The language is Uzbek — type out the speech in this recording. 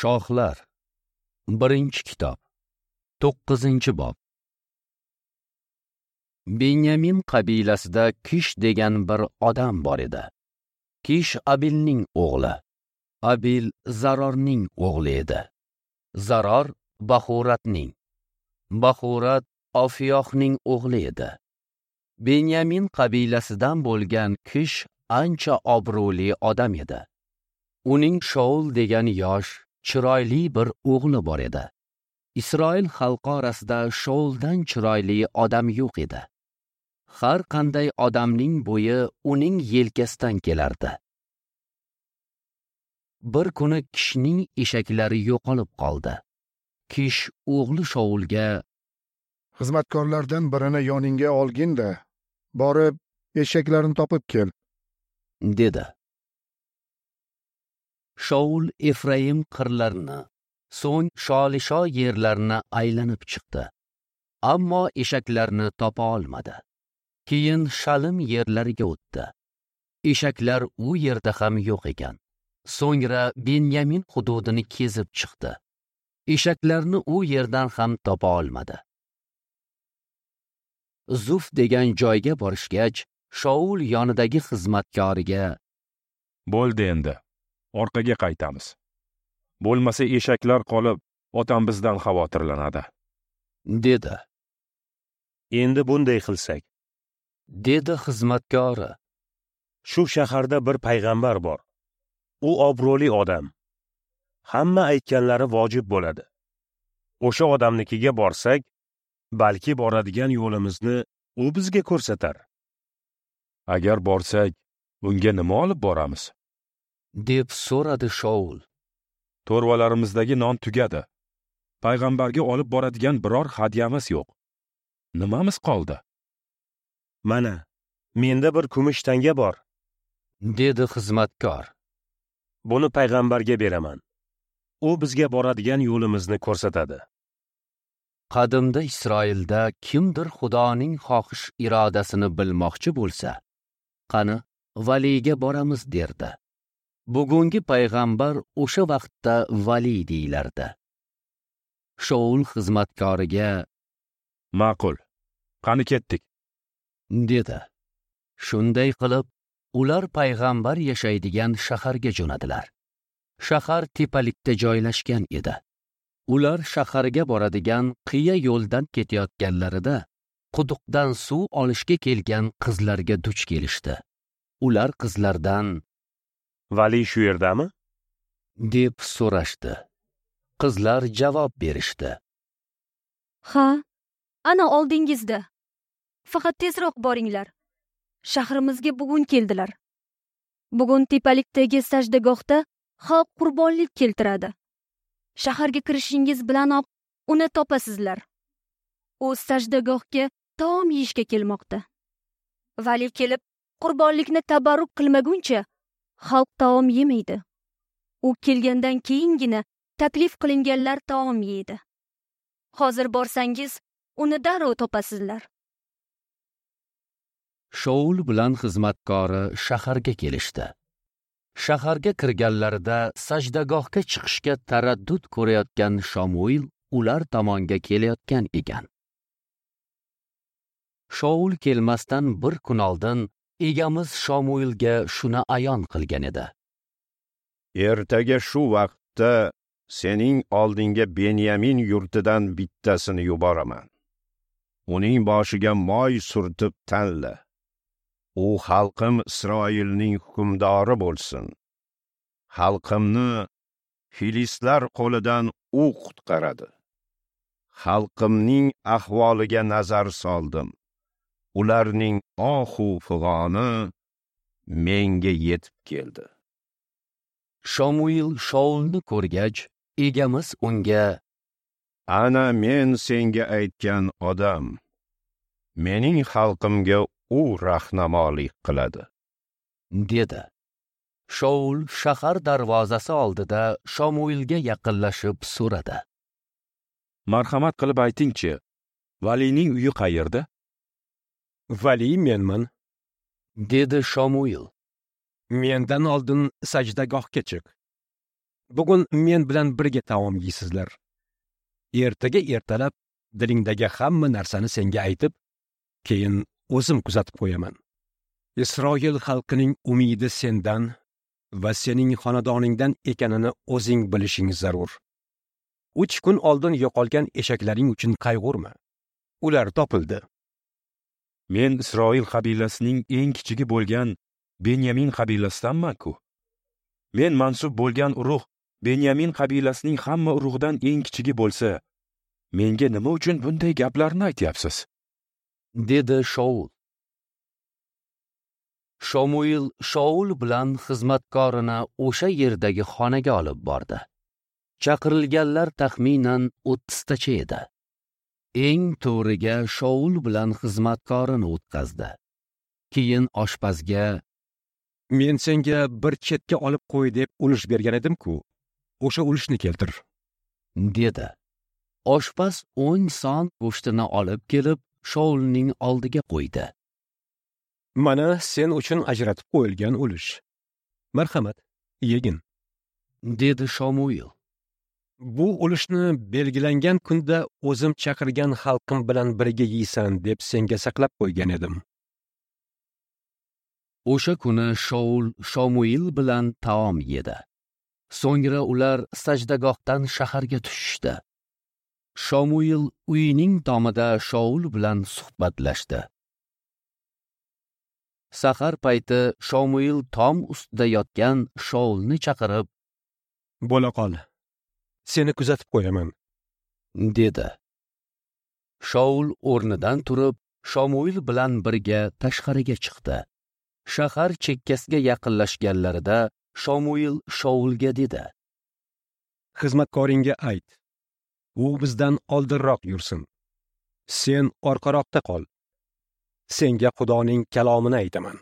Shohlar, 1-kitob, 9-bob. Benyamin qabilasida Kish degan bir odam bor edi. Kish Abilning o'g'li. Abil Zarorning o'g'li edi. Zaror Baxuratning. Baxurat Ofiyohning o'g'li edi. Benyamin qabilasidan bo'lgan Kish ancha obro'li odam edi. Uning Shaul degan yosh, chiroyli bir o'g'li bor edi. Isroil xalqi orasida Shauldan chiroyli odam yo'q edi. Har qanday odamning bo'yi uning yelkasidan kelardi. Bir kuni Kishning eshaklari yo'qolib qoldi. Kish o'g'li Shaulga: "Xizmatkorlardan birini yoningga olgin-da, borib eshaklarni topib kel", dedi. Shaul Efraim qirlarini, so'ng Sholisho yerlarini aylanib chiqdi. Ammo eshaklarni topa olmadi. Keyin Shalim yerlariga o'tdi. Eshaklar u yerda ham yo'q ekan. So'ngra Benyamin hududini kezib chiqdi. Eshaklarni u yerdan ham topa olmadi. Zuf degan joyga borishgach, Shaul yonidagi xizmatkoriga: "Bo'ldi endi, orqaga qaytamiz. Bo'lmasa eshaklar qolib, otam bizdan xavotirlanadi", dedi. "Endi bunday qilsak", dedi xizmatkori. "Shu shaharda bir payg'ambar bor. U obro'li odam. Hamma aytganlari vojib bo'ladi. O'sha odamnikiga borsak, balki boradigan yo'limizni u bizga ko'rsatar." "Agar borsak, unga nima olib boramiz?" deb so'radi Shaul. "To'rvalarimizdagi non tugadi. Payg'ambarga olib boradigan biror hadyamiz yo'q. Nimamiz qoldi?" "Mana, menda bir kumush tanga bor", dedi xizmatkor. "Buni payg'ambarga beraman. U bizga boradigan yo'limizni ko'rsatadi." Qadimda Isroilda kimdir Xudoning xohish irodasini bilmoqchi bo'lsa, qani valiyga boramiz derdi. Bugungi payg'ambar o'sha vaqtda vali deyilardi. Shaul xizmatkoriga: "Ma'qul, qani ketdik", dedi. Shunday qilib, ular payg'ambar yashaydigan shaharga jo'nadilar. Shahar tepalikda joylashgan edi. Ular shaharga boradigan qiya yo'ldan ketayotganlarida quduqdan suv olishga kelgan qizlarga duch kelishdi. Ular qizlardan: "Vali shu yerdami?" deb so'rashdi. Qizlar javob berishdi: "Ha, ana oldingizda. Faqat tezroq boringlar. Shahrimizga bugun keldilar. Bugun tepalikdagi sajdagohda xalq qurbonlik keltiradi. Shaharga kirishingiz bilanoq uni topasizlar. U sajdagohga taom yeyishga kelmoqda. Vali kelib qurbonlikni tabarruk qilmaguncha xalq taom yemaydi. U kelgandan keyingina taklif qilinganlar taom yeydi. Hozir borsangiz, uni darrov topasizlar." Shaul bilan xizmatkori shaharga kelishdi. Shaharga kirganlarida sajdagohga chiqishga taraddud ko'rayotgan Shamuil ular tomonga kelayotgan ekan. Shaul kelmasdan bir kun oldin egamiz Shamuilga shuni ayon qilgan edi: "Ertaga shu vaqtda sening oldinga Benyamin yurtidan bittasini yuboraman. Uning boshiga moy surtib tanla. U xalqim Isroilning hukmdori bo'lsin. Xalqimni filistlar qo'lidan u qutqaradi. Xalqimning ahvoliga nazar soldim. Ularning ohu fig'oni menga yetib keldi." Shamuil Shaulni ko'rgach, egamiz unga: "Ana men senga aytgan odam. Mening xalqimga u rahnamolik qiladi", dedi. Shaul shahar darvozasi oldida Shamuilga yaqinlashib so'radi: "Marhamat qilib aytingchi, valining uyi qayerda?" "Vali menman", dedi Shamuil. "Mendan oldin sajdagohga chiq. Bugun men bilan birga taom yeysizlar. Ertaga ertalab dilingdagi hamma narsani senga aytib, keyin o'zim kuzatib qo'yaman. Isroil xalqining umidi sendan va sening xonadoningdan ekanini o'zing bilishing zarur. 3 kun oldin yo'qolgan eshaklaring uchun qayg'urma. Ular topildi. Men Isroil qabilasining eng kichigi bo'lgan Benyamin qabilasidanman-ku. Men mansub bo'lgan urug' Benyamin qabilasining hamma urug'idan eng kichigi bo'lsa, menga nima uchun bunday gaplarni aytyapsiz? Dedi Shaul. Shomuil Shaul bilan xizmatkorini o'sha yerdagi xonaga olib bordi. Chaqirilganlar taxminan 30 tacha edi. Eng to'riga Shaul bilan xizmatkorini o'tkazdi. Keyin oshpazga: "Men senga bir chetga olib qo'y deb ulush bergan edim-ku. O'sha ulushni keltir", dedi. Oshpaz 10 son go'shtini olib kelib, Shaulning oldiga qo'ydi. "Mana sen uchun ajratib qo'yilgan ulush. Marhamat, yegin", dedi Shomuil. "Bu ulushni belgilangan kunda o'zim chaqirgan xalqim bilan birga yeysan deb senga saqlab qo'ygan edim." O'sha kuni Shaul Shomuil bilan taom yedi. So'ngra ular sajdagohdan shaharga tushishdi. Shomuil uyining tomida Shaul bilan suhbatlashdi. Sahar payti Shomuil tom ustida yotgan Shaulni chaqirib, "Bo'la qol, seni kuzatib qo'yaman", dedi. Shaul o'rnidan turib, Shomuil bilan birga tashqariga chiqdi. Shahar chekkasiga yaqinlashganlarida Shomuil Shaulga dedi: "Xizmatkoringga ayt, u bizdan oldinroq yursin. Sen orqaroqda qol. Senga Xudoning kalomini aytaman."